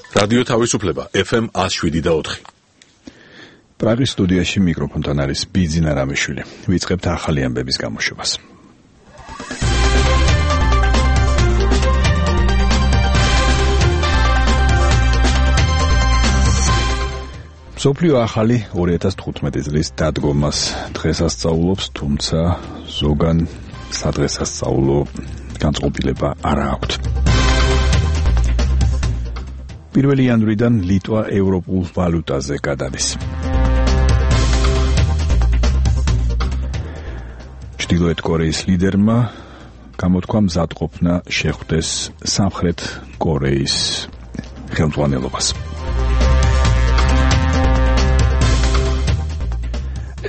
რადიო თავისუფლება FM 107.4. პრაღის სტუდიაში მიკროფონთან არის ბიძინა რამიშვილი. ვიწყებთ ახალი ამბების გამოშვებას. მსოფლიო ახალი 2015 წლის დადგომას დღესასწაულობს, თუმცა ზოგან სადღესასწაულო განწყობილება არ აქვს. 1 იანვრიდან ლიტვა ევროპულ ვალუტაზე გადადის. ჩრდილოეთ კორეის ლიდერმა გამოთქვა მზადყოფნა შეხვდეს სამხრეთ კორეის ხელმძღვანელობას.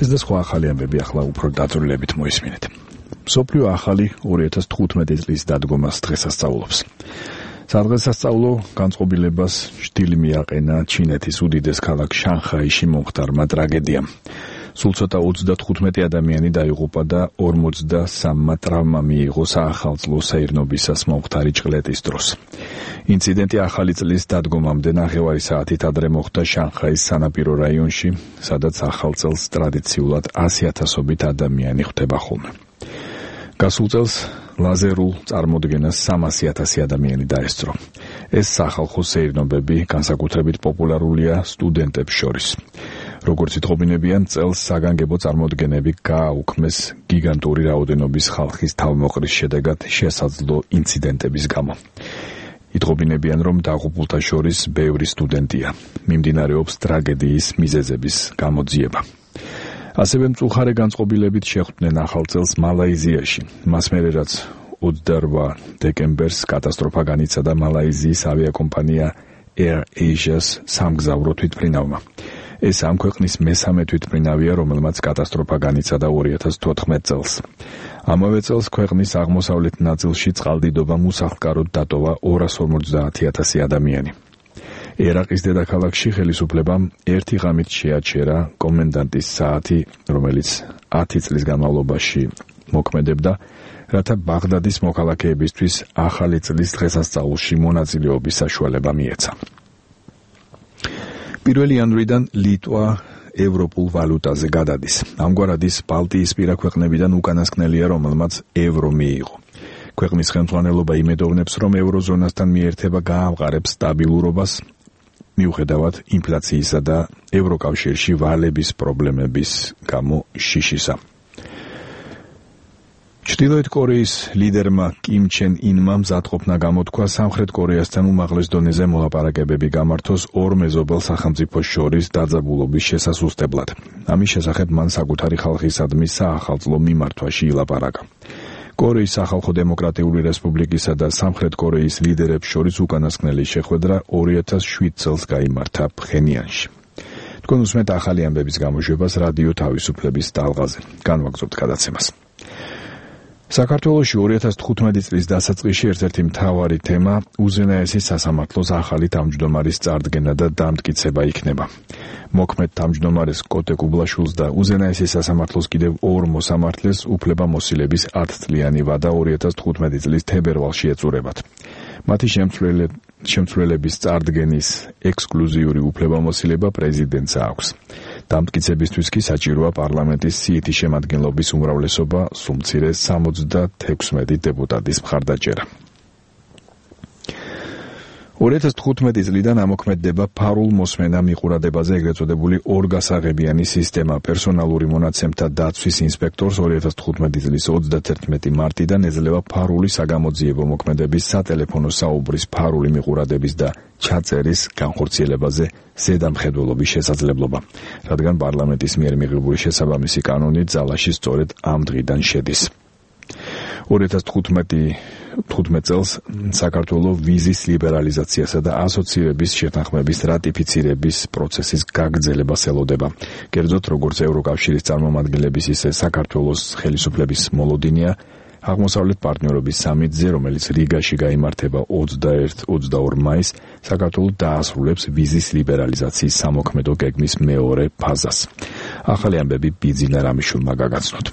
ეს და სხვა ახალი ამბები ახლა უფრო დაწვრილებით მოისმინეთ. მსოფლიო ახალი 2015 წლის დადგომას დღესასწაულობს. სადღესასწაულო განწყობილებას შთილი მიაყენა ჩინეთის უდიდეს ქალაქ შანხაიში მომხდარმა ტრაგედიამ. სულ ცოტა 35 ადამიანი დაიღუპა და 43-მა ტრავმა მიიღო საახალწლო საირნობისას მომხდარი ჭყლეტის დროს. ინციდენტი ახალი წლის დადგომამდე ნახევარი საათით ადრე მოხდა შანხაის სანაპირო რაიონში, სადაც ახალ წელს ტრადიციულად 100,000-ობით ადამიანი ხვდება ხოლმე. გასულ წელს ლაზერულ წარმოდგენას 300,000 ადამიანი დაესწრო. ეს სახალხო სეირნობები განსაკუთრებით პოპულარულია სტუდენტებს შორის. როგორც ითხოვინებიან, წელს საგანგებო წარმოდგენები გააუქმეს გიგანტური რაოდენობის ხალხის თავმოყრის შედეგად შესაძლო ინციდენტების გამო. ითხოვინებიან, რომ დაღუპულთა შორის ბევრი სტუდენტია. მიმდინარეობს ტრაგედიის მიზეზების გამოძიება. ასევე მწუხარე განწყობილებით შეხვდნენ ახალ წელს მალაიზიაში. მას მერე რაც 28 დეკემბერს კატასტროფა განიცადა მალაიზიის ავიაკომპანია Air Asia's სამგზავრო თვითმფრინავმა. ეს ამ ქვეყნის მესამე თვითმფრინავია, რომელმაც კატასტროფა განიცადა 2014 წელს. ამავე წელს ქვეყნის აღმოსავლეთ ნაწილში წყალდიდობამ უსახლკაროდ დატოვა 250,000 ადამიანი. ერაყის დედაქალაქში ხელისუფლებამ ერთი ღამით შეაჩერა კომენდანტის საათი, რომელიც 10 წლის განმავლობაში მოქმედებდა, რათა ბაღდადის მოქალაქეებისთვის ახალი წლის დღესასწაულში მონაწილეობის საშუალება მიეცა. 1 იანვრიდან ლიტვა ევროპულ ვალუტაზე გადადის. ამგვარად ის ბალტიისპირა ქვეყნებიდან უკანასკნელია, რომელმაც ევრო მიიღო. ქვეყნის ხელმძღვანელობა იმედოვნებს, რომ ევროზონასთან მიერთება გაამყარებს სტაბილურობას, მიუხედავად ინფლაციისა და ევროკავშირში ვალების პრობლემების გამო შიშისა. ჩრდილოეთ კორეის ლიდერმა კიმ ჩენ ინმა მზადყოფნა გამოთქვა სამხრეთ კორეასთან უმაღლეს დონეზე მოლაპარაკებები გამართოს ორ მეზობელ სახელმწიფოს შორის დაძაბულობის შესასუსტებლად. ამის შესახებ მან საკუთარი ხალხისადმი საახალწლო მიმართვაში ილაპარაკა. კორეის სახალხო დემოკრატიული რესპუბლიკისა და სამხრეთ კორეის ლიდერებს შორის უკანასკნელი შეხვედრა 2007 წელს გაიმართა ფხენიანში. თქვენ უსმენთ ახალი ამბების გამოშვებას რადიო თავისუფლების ტალღაზე. განვაგრძობთ გადაცემას. საქართველოში 2015 წლის დასაწყისში ერთ-ერთი მთავარი თემა უზენაესი სასამართლოს ახალი თავმჯდომარის წარდგენა და დამტკიცება იქნება. მოქმედ თავმჯდომარეს კოტე კუბლაშვილს და უზენაესი სასამართლოს კიდევ ორ მოსამართლეს უფლებამოსილების 10 წლიანი ვადა 2015 წლის თებერვალში ეწურებათ. მათი შემცვლელების წარდგენის ექსკლუზიური უფლებამოსილება პრეზიდენტს აქვს. დამტკიცებისთვის კი საჭიროა პარლამენტის სიითი შემადგენლობის უმრავლესობა, სულ მცირე 76 დეპუტატის მხარდაჭერა. 2015 წლიდან ამოქმედდება ფარულ მოსმენა მიყურადებაზე ეგრეთ წოდებული ორგასაღებიანი სისტემა. პერსონალური მონაცემთა დაცვის ინსპექტორს 2015 წლის 31 მარტიდან ეძლევა ფარული საგამოძიებო მოქმედების სატელეფონო საუბრის ფარული მიყურადების და ჩაწერის განხორციელებაზე ზედამხედველობის შესაძლებლობა, რადგან პარლამენტის მიერ მიღებული შესაბამისი კანონი ძალაში სწორედ ამ დღიდან შედის. 2015 წელს საქართველოს ვიზის ლიბერალიზაციასა და ასოცირების შეთანხმების რატიფიცირების პროცესის გაგრძელებას ელოდება. კერძოდ, როგორც ევროკავშირის წარმომადგენლების, ისე საქართველოს ხელისუფლების მოლოდინია აღმოსავლეთ პარტნიორობის სამიტზე, რომელიც რიგაში გაიმართება 21-22 მაისს, საქართველოს დაასრულებს ვიზის ლიბერალიზაციის სამოქმედო გეგმის მეორე ფაზას. ახალი ამბები ბიძინა რამიშვილმა გაგაცნოთ.